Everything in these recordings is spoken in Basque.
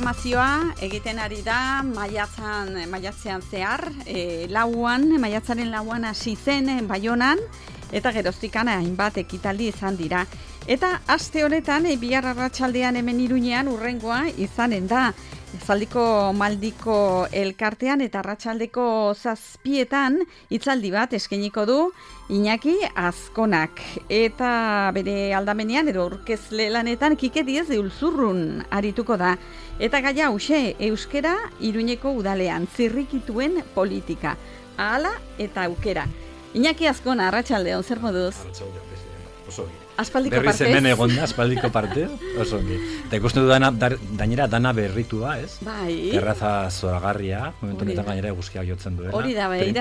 programazioa egiten ari da maiatzean zehar, maiatzaren lauan hasi zen Baionan, eta geroztikan hainbat ekitaldi izan dira. Eta aste honetan, bihar arratsaldean hemen Iruñean urrengoa izanen da. Zaldiko Maldiko elkartean eta arratsaldeko 7etan hitzaldi bat eskainiko du Iñaki Azkonak. Eta bere aldamenean edo aurkezle lanetan Kike Diez de Ulzurrun arituko da. Eta gaia hauxe, euskera Iruñeko udalean, zirrikituen politika. Ahala eta aukera. Iñaki Azkona, arratsaldeon, zer moduz? Arratsaldeon, oso ogi. Aspaldiko partez? Berriz hemen egon da, aspaldiko partez, oso ogi. Eta ikusten du dainera dana berritua, ez? Bai. Terraza zoragarria, momentu honetan gainera eguzkia jotzen duela. Hori da, bai,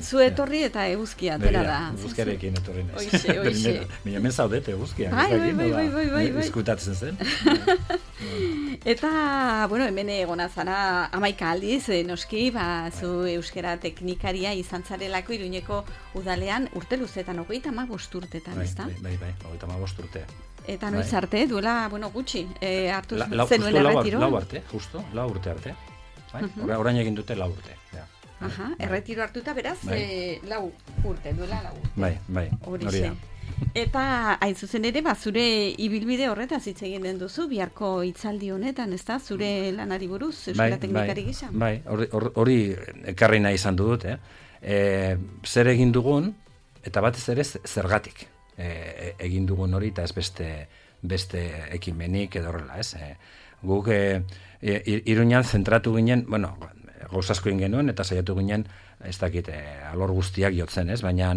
zu etorri eta eguzkia, atera da. Eguzkiarekin etorri naiz. Oixe. Mina hemen zaudete eguzkia. Bai. Eskutatzen zen. Eta, hemen egona zara 11 aldiz, noski, zu euskera teknikaria izan zarelako Iruñeko udalean urte luzetan, 35 urtetan, ezta? Bai, 35 urte. Eta noiz arte, duela, gutxi, hartu zenuen erretiro? Lau arte, justo, 4 urte arte. Orain egin dute 4 urte. Aha, erretiro hartuta beraz, 4 urte, duela 4 urte. Bai, hori da. Eta hain zuzen ere, zure ibilbide horretaz hitz egiten duzu, biharko hitzaldi honetan, ezta? Zure lanari buruz, euskara teknikari gisa? Bai, hori ekarri nahi izan dut, zer egin dugun, eta batez ere zergatik egin dugun hori, eta ez beste ekimenik edo horrela, ez? Guk Iruñan zentratu ginen, gauzasko egin genuen, eta saiatu ginen, ez dakit, alor guztiak jotzen, ez? Baina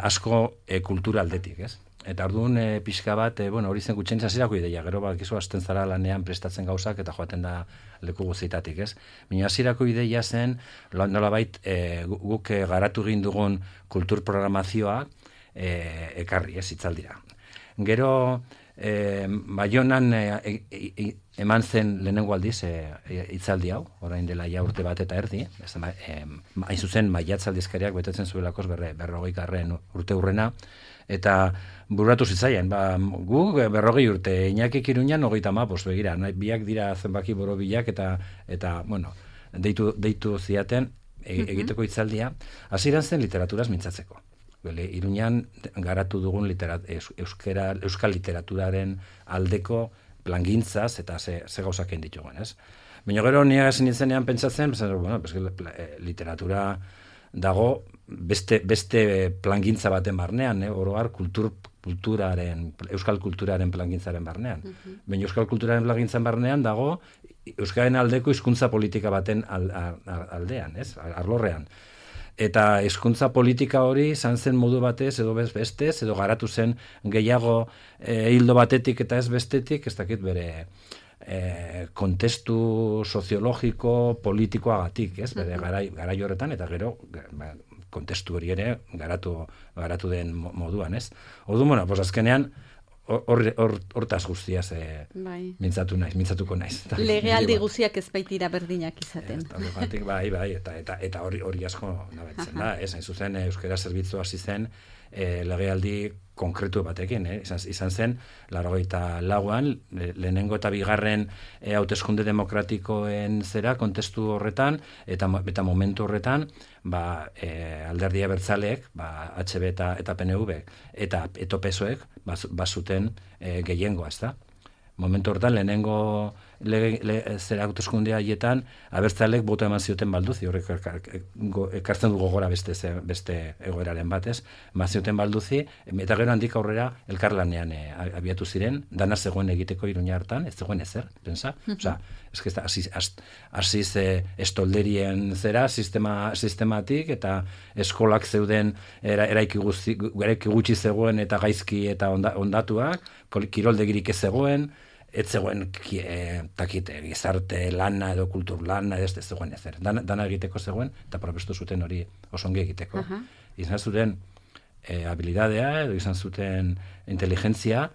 asko kultura aldetik, ez? Eta orduan pixka bat, hori zen gutxen izazirako ideia, gero bakizu hasten zara lanean prestatzen gauzak eta joaten da leku guztietatik, ez? Baina hasierako ideia zen, nolabait guk garatu egin dugun kultur programazioa ekarri, ez, hitzaldira. Gero, Baionan eman zen lehenengo aldiz hitzaldi hau, orain dela ja urte bat eta erdi, hain zuzen maiatzaldizkariak betetzen zuelakos 40. urte urrena, eta bururatu zitzaien, gu 40 urte, Iñakik Iruñan 35, begira, biak dira zenbaki borobilak eta deitu ziaten egiteko hitzaldia, hasieran zen literaturaz mintzatzeko. Iruñan garatu dugun euskal literaturaren aldeko plangintzaz eta ze gauzak egin ditugun, ez? Baina gero niega esan nintzenean pentsatzen, literatura dago beste plangintza baten barnean, oroar euskal kulturaren plangintzaren barnean. Baina euskal kulturaren plangintzaren barnean dago euskaren aldeko hizkuntza politika baten aldean, ez? Arlorrean. Eta hizkuntza politika hori izan zen modu batez edo bestez, edo garatu zen gehiago hildo batetik eta ez bestetik, ez dakit bere kontestu soziologiko politikoagatik, ez? Bere garai horretan, eta gero kontestu hori ere garatu den moduan, ez? Orduan, azkenean hortaz guztiaz mintzatuko naiz. Legealdi guztiak ez baitira berdinak izaten. Bai, eta hori asko nabetzen da, ez? Hain zuzen, euskara zerbitzu hasi zen legealdi konkretu batekin, izan zen, 84an, lehenengo eta bigarren hauteskunde demokratikoen zera, kontestu horretan, eta momentu horretan, alderdi abertzaleek, HB eta PNV, eta PSOek, bazuten gehiengoa, ez da? Momentu horretan, lehenengo zera hauteskunde haietan, abertzaleek boto eman zioten balduzi, horrek ekartzen du gogora beste egoeraren batez, eman zioten balduzi, eta gero handik aurrera elkarlanean abiatu ziren, dana zegoen egiteko Iruña hartan, ez zegoen ezer, pensa? Osa, hasiz estolderien zera sistematik, eta eskolak zeuden eraiki gutxi zegoen eta gaizki eta ondatuak, kiroldegirik ez zegoen, ez zegoen gizarte lana edo kultur lana ez zegoen ezer. Dana egiteko zegoen, eta probestu zuten hori osongi egiteko. Izan zuten habilidadea edo izan zuten inteligentzia,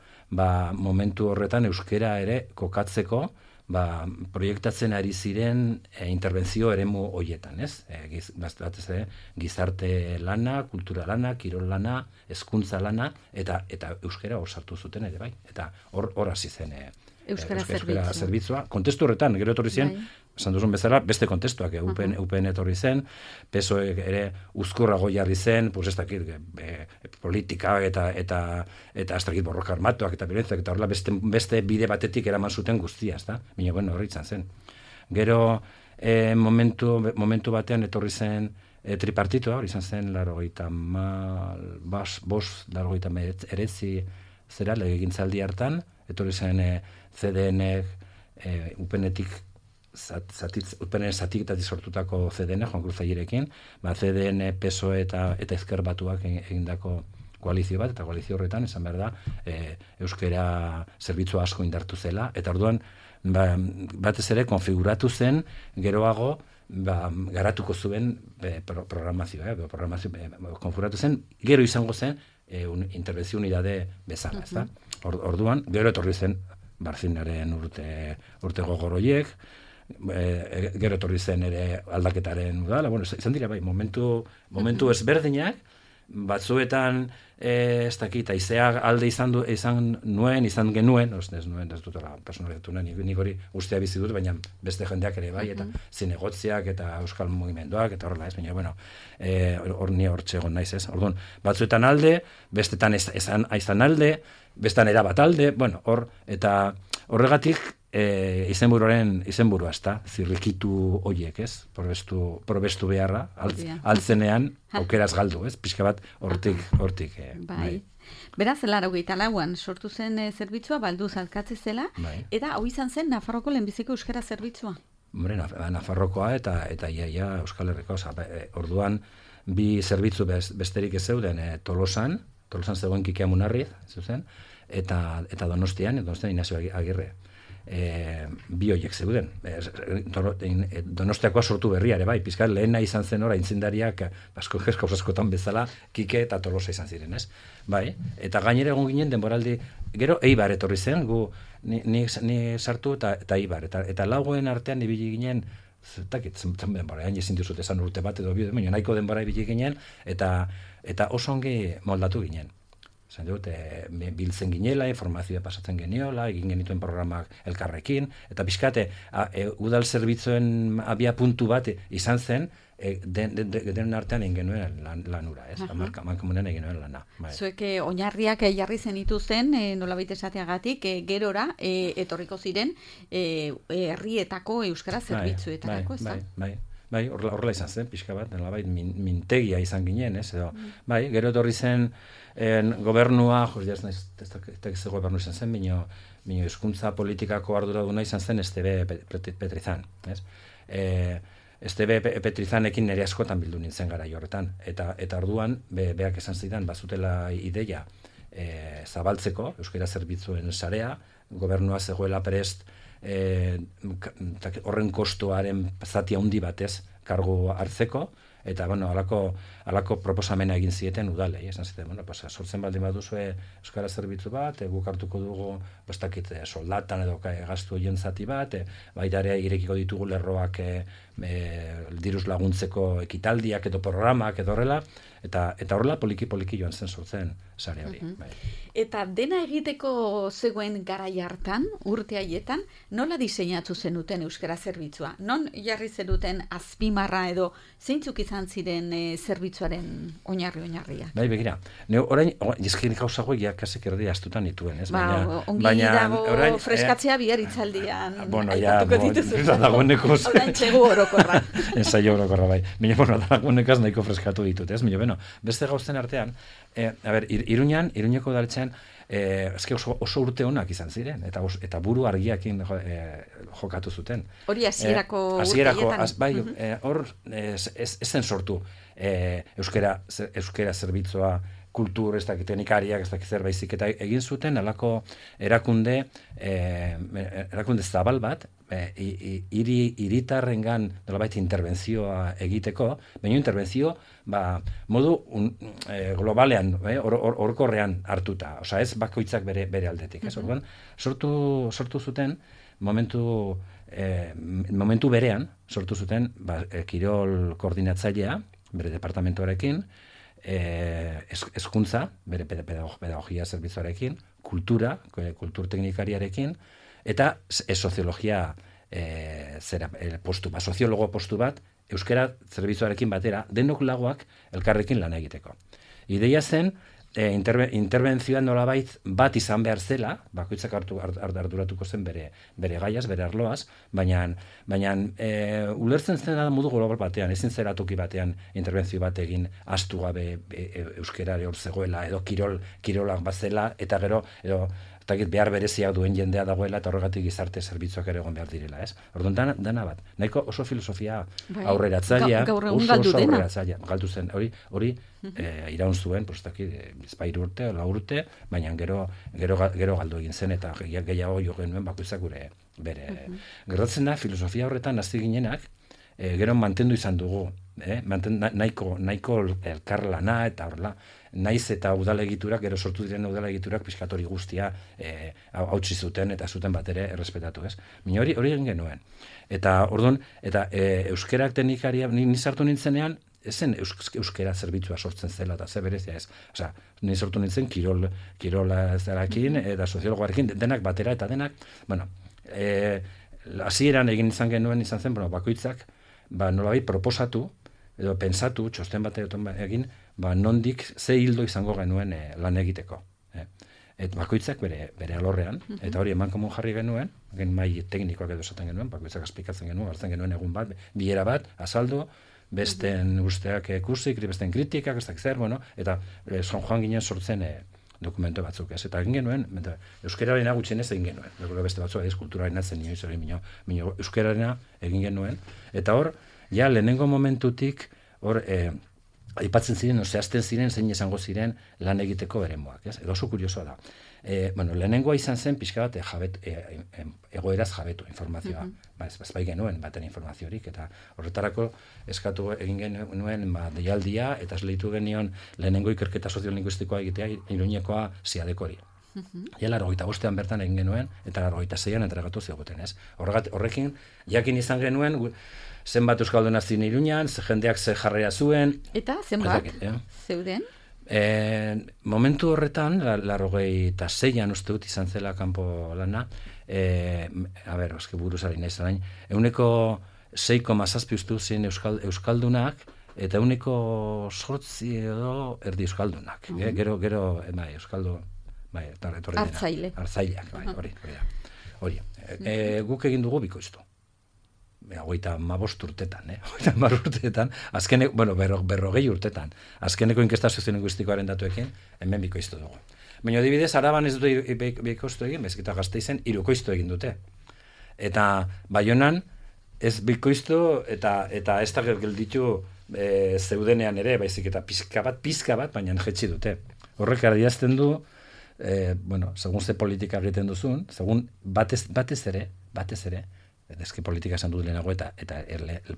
momentu horretan euskera ere kokatzeko, proiektatzen ari ziren interbentzio eremu horietan, ez? Gizarte lana, kultura lana, kirol lana, hezkuntza lana, eta euskera hor sartu zuten ere, bai. Eta hor hasi zen Euskara zerbitzua. Kontestu horretan, gero etorri ziren, esan duzun bezala, beste kontestuak, UPN etorri zen, PSOE ere uzkurrago jarri zen, pues ez dakit, politika eta ez dakit borroka armatuak eta violentzak eta horrela beste bide batetik eraman zuten guztia, ezta? Baina, bueno, hori izan zen. Gero, momentu batean etorri zen tripartitoa, hori izan zen, 89 zera, legegintzaldi hartan, etorri zen CDN, UPN-etik UPN zatiketatik sortutako CDN, Juan Cruz Aguirekin, CDN, PSOE eta Ezker Batuak egindako koalizio bat, eta koalizio horretan, esan behar da, euskera zerbitzu asko indartu zela, eta orduan, batez ere, konfiguratu zen, geroago, garatuko zuen programazioa, konfiguratu zen, gero izango zen, interbentzio unidade bezala, ezta? Orduan, gero etorri zen, Barzinaren urte gogoroiek, gero etorri zen ere aldaketaren udala, bueno, izan dira bai, momentu ezberdinak, batzuetan ez dakit, aizea alde izan genuen, ez dut personalizatu nuen, nik hori guztia bizi dut, baina beste jendeak ere bai, eta zinegotziak eta euskal mugimenduak, eta horrela ez, baina, bueno, ni hortxe egon naiz ez. Orduan, batzuetan alde, bestetan izan alde, bestetan erabat alde, bueno, eta horregatik izenburua ezta, zirrikitu hoiek, ez? Probestu beharra, altzenean, aukeraz galdu, ez? Pixka bat hortik. Bai. Beraz, 84an sortu zen zerbitzua, balduz alkatze zela, eta hau izan zen Nafarroko lehenbiziko euskara zerbitzua. Hombre, Nafarrokoa eta iaia Euskal Herriko, orduan bi zerbitzu besterik ez zeuden Tolosan zegoen Kikea Munarriz, zuzen, eta Donostian Inazio Agirre. Bi horiek zeuden. Donostiakoa sortu berria ere bai, pizkat lehena izan zen ora intzindariak askotan bezala Kike eta Tolosa izan ziren, ez? Bai, eta gainera egon ginen denboraldi, gero Eibar etorri zen, ni sartu eta Eibar, eta lagoen artean ibili ginen, zen denbora, ezin dizut esan urte bat edo bi, baina nahiko denbora ibili ginen, eta oso ongi moldatu ginen. Zan dut, biltzen ginela, informazioa pasatzen geniola, egin genituen programak elkarrekin, eta pixkate, udal zerbitzuen abia puntu bat izan zen, den artean egin genuen lanura, ez? Mankomunean egin genuen lana. Zuek oinarriak jarri zenituzten, nolabait esateagatik, gerora, etorriko ziren, herrietako euskara zerbitzuetarako, ez da? Bai, horrela izan zen, pixka bat, mintegia izan ginen, ez? Bai, gero etorri zen gobernua, ez dakiz gobernu izan zen, bino hizkuntza politikako arduraduna izan zen Estebe Petrizan, ez? Estebe Petrizanekin nire askotan bildu nintzen gara horretan, eta orduan, beak esan zidan, bazutela ideia zabaltzeko, euskara zerbitzuen sarea, gobernua zegoela prest, horren kostuaren zati handi batez kargu hartzeko, eta, bueno, alako proposamena egin zieten udalei, esan zieten, bueno, sortzen baldin baduzue euskara zerbitzu bat, guk hartuko dugu, bestakit, soldatan edo gastu horien zati bat, baita ere irekiko ditugu lerroak diruz laguntzeko ekitaldiak edo programak edo horrela, eta horrela poliki joan zen sortzen sare hori. Eta dena egiteko zegoen garai hartan, urte haietan, nola diseinatu zenuten euskara zerbitzua? Non jarri zenuten azpimarra edo zeintzuk izan ziren zerbitzuaren oinarria? Bai, begira. Orain, jizkin gauza hauek jakasek erdi astutan nituen, ez? Ongi dago freskatzea bihar itzaldian. Bueno, ja, dagoeneko. Orain txegu orokorra. Ensaio orokorra, bai. Baina, bueno, dagoenekaz nahiko freskatu ditut, ez? Baina, beste gauzen artean, Iruñeko udaletxean, oso urte honak izan ziren, eta buru argiakin jokatu zuten. Hori hasierako urteietan. Bai, hor ez zen sortu euskera zerbitzua, kultur, ez dakit teknikariak, ez dakit zerbaizik, eta egin zuten alako erakunde zabal bat, hiritarrengan nolabait interbentzioa egiteko, baina interbentzio modu globalean, orokorrean hartuta, osea ez bakoitzak bere aldetik, ez? Orduan sortu zuten momentu berean sortu zuten kirol koordinatzailea bere departamentoarekin, hezkuntza, bere pedagogia zerbitzuarekin, kultur teknikariarekin, eta soziologia postu bat, soziologo postu bat, euskara zerbitzuarekin batera, denok lagoak elkarrekin lan egiteko. Ideia zen, interbentzioan nolabait bat izan behar zela, bakoitzak arduratuko zen bere gaiaz, bere arloaz, baina ulertzen zen da modu global batean, ezin zera toki batean interbentzio bat egin astu gabe euskerare hor zegoela, edo kirolak bazela, eta gero, edo behar bereziak duen jendea dagoela, eta horregatik gizarte zerbitzuak ere egon behar direla, ez? Orduan, dana bat. Nahiko oso filosofia aurreratzailea, oso aurreratzailea. Galdu zen, hori iraun zuen, bizpairu urte, 4 urte, baina gero galdu egin zen, eta gehiago jo genuen bakoitzak gure bere. Gertatzen da, filosofia horretan hasi ginenak, gero mantendu izan dugu, nahiko elkarlana, eta horrela, naiz eta udalegiturak, gero sortu diren udalegiturak pixkatori guztia hautsi zuten eta zuten bat ere errespetatu, ez? Baina hori egin genuen. Eta orduan, euskerak teknikaria, ni sartu nintzenean, ezen euskera zerbitzua sortzen zela, eta ze berezia ez. Osea, ni sortu nintzen kirola zerakin, eta soziologoarekin, denak batera, eta denak, bueno, hasieran egin izan zen, bakoitzak, nolabait proposatu, edo pensatu, txosten bat egin, nondik ze hildo izango genuen lan egiteko. Eta bakoitzak bere alorrean, eta hori emankomun jarri genuen, mai teknikoak edo esaten genuen, bakoitzak esplikatzen genuen, hartzen genuen egun bat, bilera bat, azaldu, besten usteak kursik, besten kritikak, ez dakit zer, eta joan ginen sortzen dokumento batzuk, ez? Eta egin genuen, euskararena gutxienez egin genuen, beste batzuk kulturarena zen inoiz hori minio euskararena egin genuen, eta hor, ja lehenengo momentutik, hor, aipatzen ziren, zehazten ziren, zein esango ziren lan egiteko beremoak, ez? Edo oso kuriosoa da. Lehenengoa izan zen pixka bat egoeraz jabetu informazioa. Ez bai genuen baten informaziorik, eta horretarako eskatu egin genuen deialdia, eta esleitu genion lehenengo ikerketa soziolinguistikoa egitea Iruñekoa Siadekori. Ja, 85 bertan egin genuen, eta 86an entregatu ziguten, ez? Horrekin, jakin izan genuen, zenbat euskalduna zin Iruñan, jendeak ze jarrera zuen. Eta zenbat zeuden? Momentu horretan, 86an uste dut izan zela kanpo lana, buruzari nahi zarain, 6,7 uste zin euskaldunak, eta 8 edo erdi euskaldunak. Gero, euskaldu, hartzaileak, hori. Guk egin dugu bikoiztu. 55 urtetan, 50 urtetan, berrogei urtetan, azkeneko inkesta soziolinguistikoaren datuekin, hemen bikoiztu dugu. Baina adibidez, Araban ez dute bikoiztu egin, bezketa Gasteizen hirukoiztu egin dute. Eta Baionan ez bikoiztu eta ez da gelditu zeudenean ere, baizik eta pizka bat, baina jetzi dute. Horrek adierazten du, segun ze politika egiten duzun, segun batez ere, eski politika esan dut lehenago eta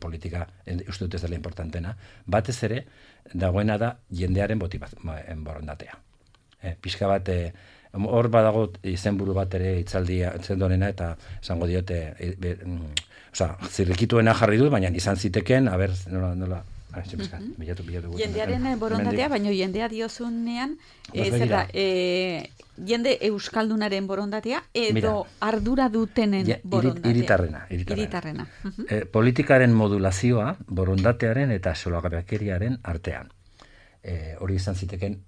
politika uste dut ez dela importantena, batez ere dagoena da jendearen borondatea. Pixka bat, hor badago izenburu bat ere hitzaldia zenduanena eta esango diote, zirrikituena jarri dut, baina izan ziteken, nola, bilatu. Jendearen borondatea, baina jendea diozunean, jende euskaldunaren borondatea edo ardura dutenen borondatea. Iritarrena. Politikaren modulazioa borondatearen eta solagabekeriaren artean. Hori izan ziteken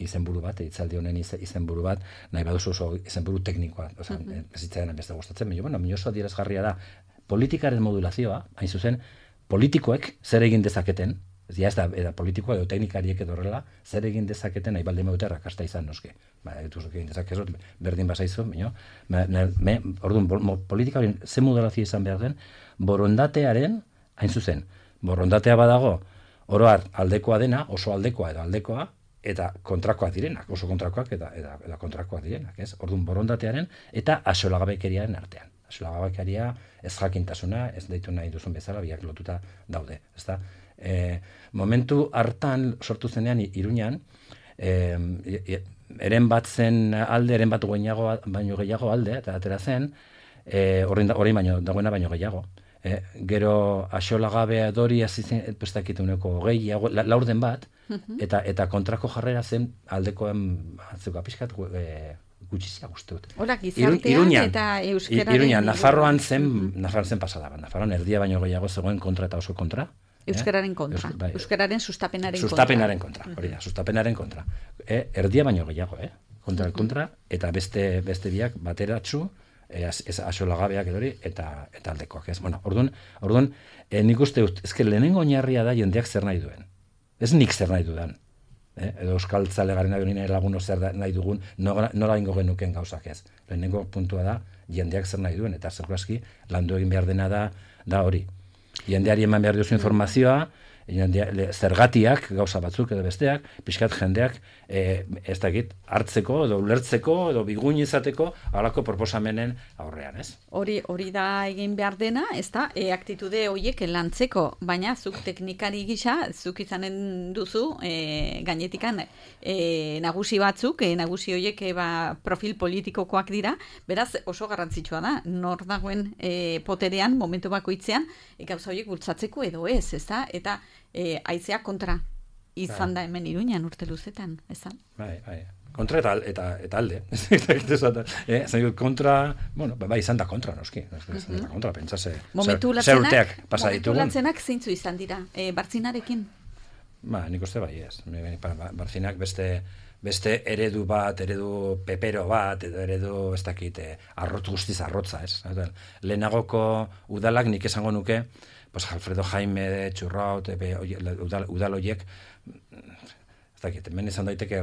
izenburu bat, hitzaldi honen izenburu bat, nahi baduzu oso izenburu teknikoa, ez zitzaidan beste gustatzen, baina oso adierazgarria da, politikaren modulazioa, hain zuzen, politikoek zer egin dezaketen, ez da politikoa edo teknikariek edo horrela, zer egin dezaketen nahi baldin badute rakasta izan noski. Egin dezakezot, berdin bazaizu, orduan, politika hori ze modulazio izan behar den, borondatearen, hain zuzen, borondatea badago, oroar aldekoa dena, oso aldekoa edo aldekoa, eta kontrakoak direnak, oso kontrakoak eta kontrakoak direnak, ez? Orduan, borondatearen eta axolagabekeriaren artean. Axolagabekeria ez jakintasuna, ez deitu nahi duzun bezala, biak lotuta daude, ezta? Momentu hartan sortu zenean Iruñan, eren bat zen alde, eren bat baino gehiago alde, eta atera zen, hori dagoena baino gehiago. Gero axolagabe dori azitzen, pestakituneko gehiago, laurden bat, eta kontrako jarrera zen aldekoen batzuka pixkat gutxizia uste dut. Hola, gizartean eta euskararen... Iruñan, Nafarroan zen pasada bat. Nafarroan erdia baino gehiago zegoen kontra eta oso kontra. Euskararen kontra. Euskararen sustapenaren kontra. Sustapenaren kontra, hori da, sustapenaren kontra. Erdia baino gehiago, kontra, eta beste biak bateratsu, asolagabeak edori, eta aldekoak, ez? Bueno, orduan, nik uste dut, ezke lehenengo oinarria da jendeak zer nahi duen. Ez nik zer nahi dudan. Edo euskal zale garen nahi laguno zer nahi dugun, nora ingo genuken gauzak ez. Lehenengo puntua da, jendeak zer nahi duen, eta zergaski landu egin behar dena da hori. Jendeari eman behar duzu informazioa, zergatiak, gauza batzuk edo besteak, pixkat jendeak ez dakit, hartzeko edo ulertzeko edo biguin izateko halako proposamenen aurrean, ez? Hori da egin behar dena, ez da, aktitude horiek lantzeko, baina zuk teknikari gisa, zuk izanen duzu gainetikan nagusi batzuk, nagusi horiek profil politikokoak dira, beraz oso garrantzitsua da, nor dagoen poterean, momentu bakoitzean, gauza horiek bultzatzeko edo ez da, eta haizea kontra izan da hemen Iruñan urte luzetan, ez da? Bai. Kontra eta alde. Zain kontra, bueno, izan da kontra, noski. Izan da kontra, pentsase. Momentu latzenak zeintzu izan dira, Bartzinarekin? Nik uste bai ez. Bartzinak beste eredu pepero bat, eredu, ez dakit, guztiz arrotza, ez? Lehenagoko udalak nik esango nuke, Alfredo Jaime de Txurraut, udal horiek, ez dakit, hemen izan daiteke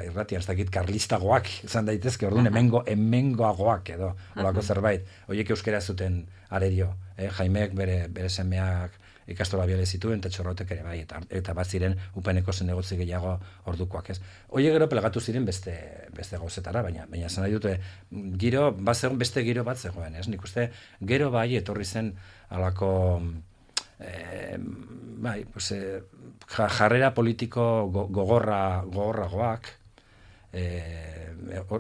irratian, ez dakit, karlistagoak izan daitezke, orduan hemengoagoak edo, olako zerbait, horiek euskera zuten arerio, Jaimeek bere semeak ikastola biale zituen, eta Txurrautek ere bai, eta bat ziren upeneko zenegotzi gehiago ordukoak, ez. Horiek gero pelegatu ziren beste gauzetara, baina esan nahi dute, beste giro bat zegoen, ez. Nik uste, gero bai etorri zen alako jarrera politiko gogorragoak,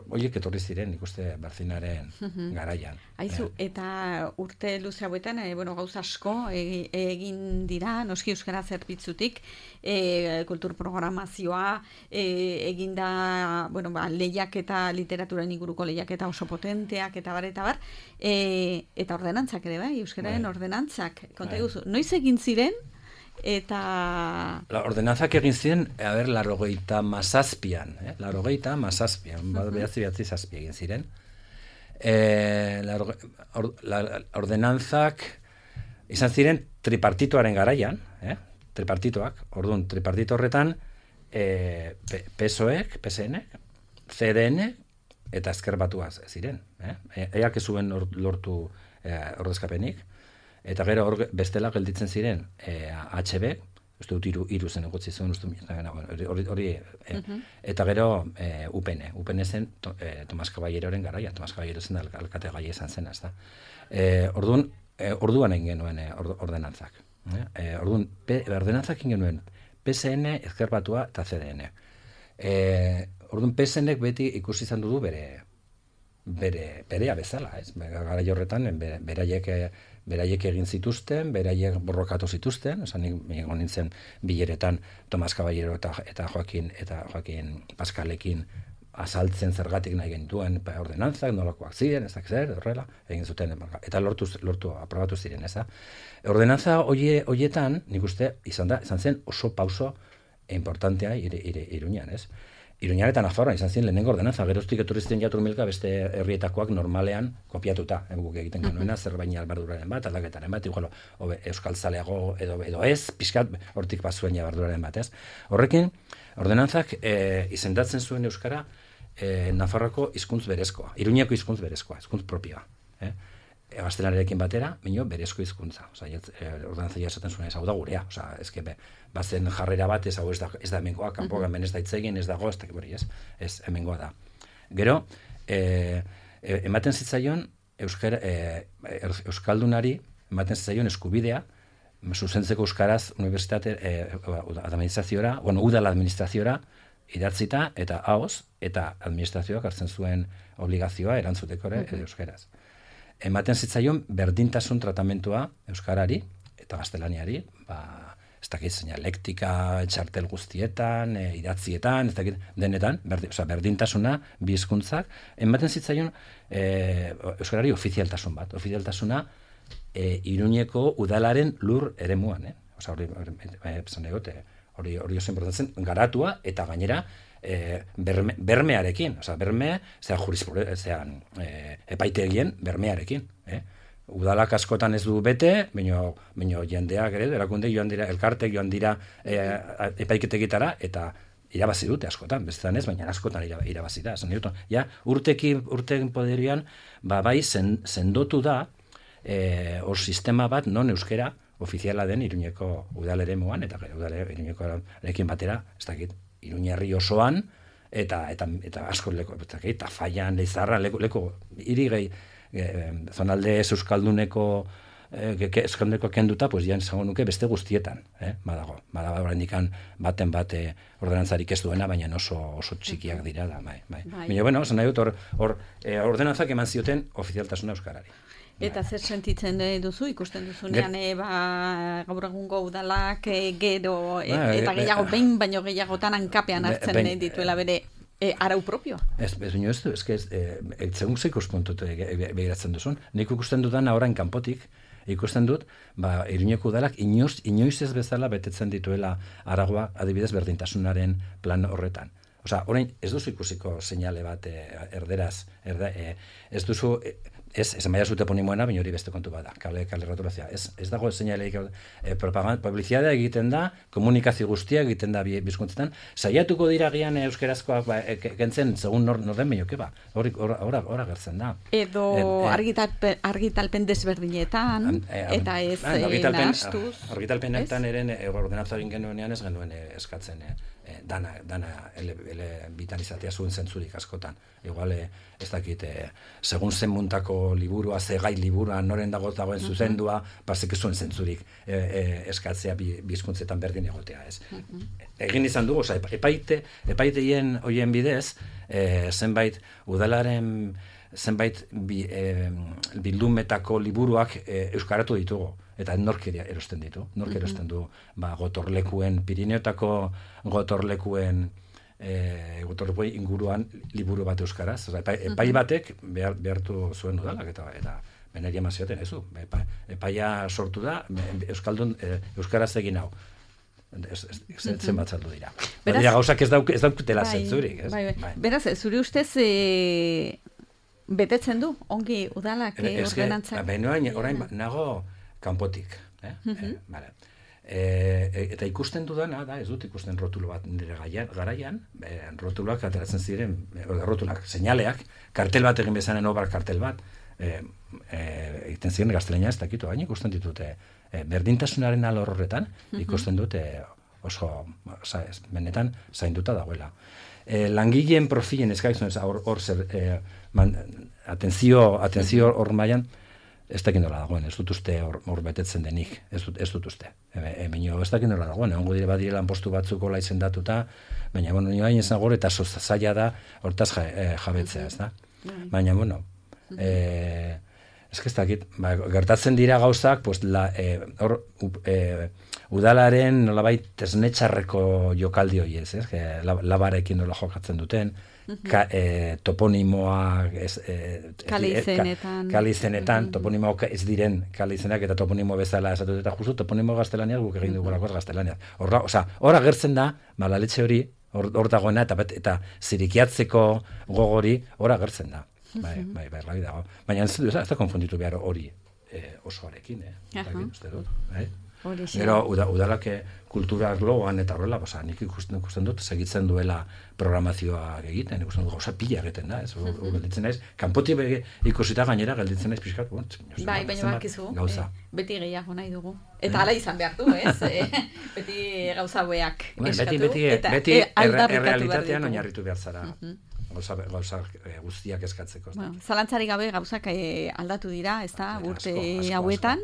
horiek etorri ziren, ikuste Barzinaren garaian. Aizu, eta urte luze hauetan, gauza asko egin dira, noski euskara zerbitzutik, kultur programazioa, egin da, lehiak eta literaturan inguruko lehiak eta oso potenteak, eta bar, eta ordenantzak ere, bai, euskararen ordenantzak. Konta eguzu, noiz egin ziren, eta... Ordenantzak egin ziren, larogeita mazazpian, behatzi zazpi egin ziren. Ordenantzak izan ziren tripartitoaren garaian, tripartitoak, orduan, tripartito horretan, PSOEk, PSN-ek, CDN eta Ezker Batua ziren. Eak ez zuen lortu ordezkapenik. Eta gero bestela gelditzen ziren HB, uste dut hiru zen egotzi zuen, hori, eta gero UPN zen Tomas Caballeroren garaia, Tomas Caballero zen alkate gai izan zen, ez da. Orduan egin genuen ordenantzak. Ordenantzak egin genuen PSN, Ezker Batua eta CDN. Orduan PSNek beti ikusi izan du berea bezala, ez? Garai horretan, beraiek egin zituzten, beraiek borrokatu zituzten, esan egon nintzen bileretan Tomas Caballero eta Joaquin Paskalekin azaltzen zergatik nahi genituen ordenantzak, nolakoak ziren, ez dakit zer, horrela, egin zuten, eta lortu aprobatu ziren, ez da. Ordenantza horietan, nik uste, izan zen oso pauso importantea Iruñan, ez? Iruñan eta Nafarroan izan zen lehenengo ordenantza, geroztik etorri ziren jaturmilka beste herrietakoak normalean kopiatuta, guk egiten genuena, zerbaini albarduraren bat, aldaketaren bat, igual, euskal zaleago edo ez, pixkat hortik bazuen jabarduraren bat, ez? Horrekin, ordenantzak izendatzen zuen euskara Nafarroako hizkuntz berezkoa, Iruñako hizkuntz berezkoa, hizkuntz propioa. Gaztelaniarekin batera, berezko hizkuntza. Ordenantza esaten zuen ez hau da gurea. Bazen jarrera bat, ez hau ez da hemengoa, kanpoan hemen ez da itzegin, ez dago, ez hemengoa da. Gero, ematen zitzaion euskaldunari, ematen zitzaion eskubidea, zuzentzeko euskaraz unibertsitate administraziora, udal administraziora, idatzita eta ahoz, eta administrazioak hartzen zuen obligazioa erantzuteko euskaraz. Ematen zitzaion berdintasun tratamentua euskarari eta gaztelaniari, ez dakit seinalektika, txartel guztietan, idatzietan, ez dakit denetan, berdintasuna, bi hizkuntzak, ematen zitzaion euskarari ofizialtasun bat. Ofizialtasuna Iruñeko udalaren lur eremuan, hori oso importantzen, garatua eta gainera bermearekin, berme, epaitegien bermearekin, Udalak askotan ez du bete, baina jendeak ere, erakunde joan dira, elkartek joan dira epaiketegitara, eta irabazi dute askotan, bestetan ez, baina askotan irabazi da. Ja, urtekin poderian, bai, sendotu da, hor sistema bat, non euskera ofiziala den Iruñeko udaleremuan, eta Iruñekoarekin batera, ez dakit, Iruñerri osoan, eta asko leko, eta Faian, Leizarra, leko, hiri gehi, zonalde euskalduneko kenduta, pues ja esango nuke beste guztietan, badago oraindikan baten bate ordenantzarik ez duena, baina oso txikiak dira da, bai. Baina, bueno, esan nahi dut, hor ordenantzak eman zioten ofizialtasuna euskarari. Eta zer sentitzen duzu, ikusten duzunean, gaur egungo udalak gero, eta gehiago behin, baino gehiagotan hankapean hartzen dituela bere arau propioa. Ez segun ze ikuspuntut begiratzen duzun. Nik ikusten dudan orain kanpotik, ikusten dut, Iruñeko udalak inoiz ez bezala betetzen dituela aragoa, adibidez berdintasunaren plan horretan. Orain ez duzu ikusiko seinale bat erderaz, ez duzu, ez maia zute ponimoena, baina hori beste kontu bada, kale rotulazioa. Ez dago seinaleik, publizitatea egiten da, komunikazio guztia egiten da bizkuntzetan, saiatuko dira gian euskerazkoak kentzen, segun norden baino, hori gertzen da. Edo argitalpen desberdinetan, eta ez nahastuz. Argitalpenetan eren ordenantzaren genuenean ez genuen eskatzen, dana bitan izatea zuen zentzurik askotan. Igual, ez dakit, segun zen muntako liburua, ze gai liburua, noren dagoen zuzendua, pasek zuen zentzurik eskatzea bizkuntzetan berdin egotea, ez. Egin izan dugu, epaiteien hoien bidez, zenbait udalaren zenbait bildumetako liburuak euskaratu ditugu. Eta nork erosten ditu. Nork erosten du gotorlekuen, Pirineotako gotorlekuen inguruan liburu bat euskaraz. Epai batek behartu zuen udalak eta beneri eman zioten, ezu. Epaia sortu da, euskaraz egin hau. Zen bat saldu dira. Badira gauzak ez daukutela zentzurik. Beraz, zure ustez betetzen du, ongi udalak ordenantzak? Orain nago kanpotik. Eta ikusten dudana, ez dut ikusten rotulo bat nire garaian, rotuloak ateratzen ziren, rotulak, seinaleak, kartel bat egin bezanen obar kartel bat, egiten ziren gaztelania ez dakitu, baina ikusten ditute berdintasunaren alor horretan, ikusten dute oso, benetan, zainduta dagoela. Langileen profilen eskaizun hor zer, atentzio hor mailan, ez dakit nola dagoen, ez dut uste hor betetzen denik, ez dut uste. Ez dakit nola dagoen, egongo dire badirela postu batzuko izendatuta, baina, nio hain ezan gore, eta zaila da hortaz jabetzea, ez da? Baina, ez dakit, gertatzen dira gauzak, hor, udalaren nolabait esnetxarreko jokaldi hori ez, labarekin nola jokatzen duten, toponimoak kale izenetan, toponimoak ez diren kale izenak eta toponimo bezala esatut eta justu toponimo gaztelaniak guk egin dugulakoz gaztelaniak. Hor agertzen da, malaletxe hori, hor dagoena eta zirikiatzeko gogori hor agertzen da. Bai, dago. Baina ez da konfunditu behar hori osoarekin, uste dut. Gero, udalak kultura arloan eta horrela, nik ikusten dut, segitzen duela programazioa egiten, ikusten dut gauza pila egiten da, gelditzen naiz, kanpotik ikusita gainera gelditzen naiz pixkat, bai, baina bakizu, beti gehiago nahi dugu. Eta hala izan behar du, ez? Beti gauza beak eskatu, beti errealitatean oinarritu behar zara. gauza guztiak eskatzeko. Bueno, zalantzari gabe gauzak aldatu dira, ez da, urte hauetan,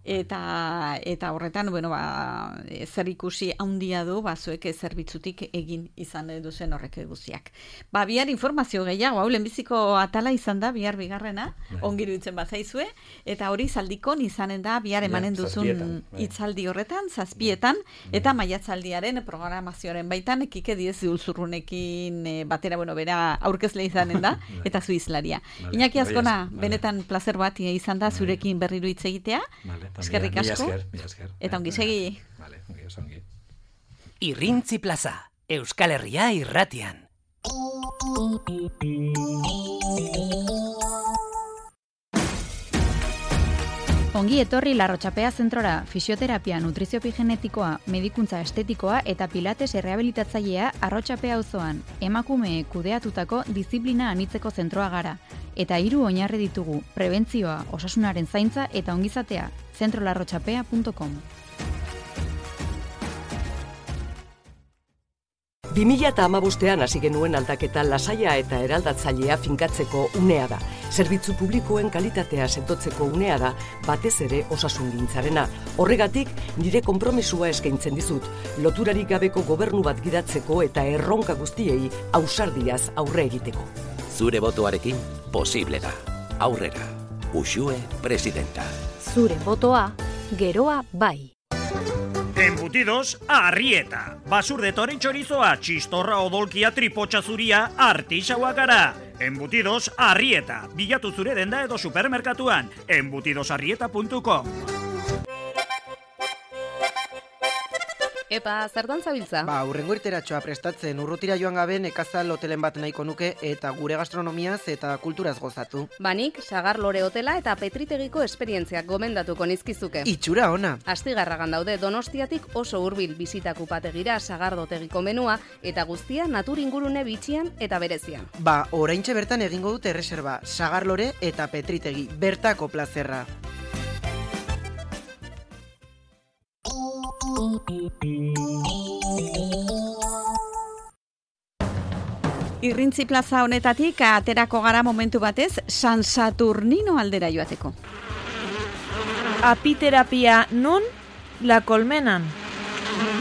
eta horretan, bueno, zer ikusi handia du, zuek zerbitzutik egin izan duzen horrek guztiak. Bihar informazio gehiago, lehenbiziko atala izan da, bihar bigarrena, ongiru itzen bazaizue, eta hori zaldikon izanen da, bihar emanen duzun hitzaldi horretan, 7etan, eta maiatzaldiaren programazioaren baitan, Kike Diez Ulzurrunekin batera, bueno, bera aurkezle izanen da, eta zu izlaria. Iñaki Azkona, benetan plazer bat izan da, zurekin berriro hitz egitea, eskerrik asko, eta ongi segi. Irrintzi Plaza, Euskal Herria irratian. Ongi etorri Larrotxapea zentrora, fisioterapia, nutriziopi genetikoa, medikuntza estetikoa eta pilates errehabilitatzailea Arrotxapea auzoan. Emakume kudeatutako diziplina anitzeko zentroa gara. Eta 3 oinarri ditugu, prebentzioa, osasunaren zaintza eta ongizatea, zentrolarrotxapea.com. 2015 hasi genuen aldaketa lasaia eta eraldatzailea finkatzeko unea da. Zerbitzu publikoen kalitatea sendotzeko unea da, batez ere osasungintzarena. Horregatik, nire konpromisua eskaintzen dizut, loturarik gabeko gobernu bat gidatzeko eta erronka guztiei ausardiaz aurre egiteko. Zure botoarekin posible da. Aurrera. Uxue presidenta. Zure botoa, geroa bai. Embutidos Arrieta. Basurde toren chorizoa, txistorra odolkia, tripotxa zuria, artixaua gara. Embutidos Arrieta. Bilatu zure denda edo supermerkatuan. embutidosarrieta.com. Epa, zertan zabiltza? Hurrengo irteratxoa prestatzen, urrutira joan gabe nekazal hotelen bat nahiko nuke eta gure gastronomiaz eta kulturaz gozatu. Banik, Sagar Lore Hotela eta Petritegiko esperientziak gomendatuko nizkizuke. Itxura ona! Astigarragan daude Donostiatik oso hurbil bizitak upategira Sagardotegiko menua eta guztia natur ingurune bitxian eta berezian. Oraintxe bertan egingo dute erreserba, Sagar Lore eta Petritegi, bertako plazerra. Irrintzi Plaza honetatik aterako gara momentu batez San Saturnino aldera joateko. Apiterapia non? La Colmenan.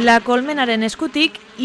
La Colmenaren eskutik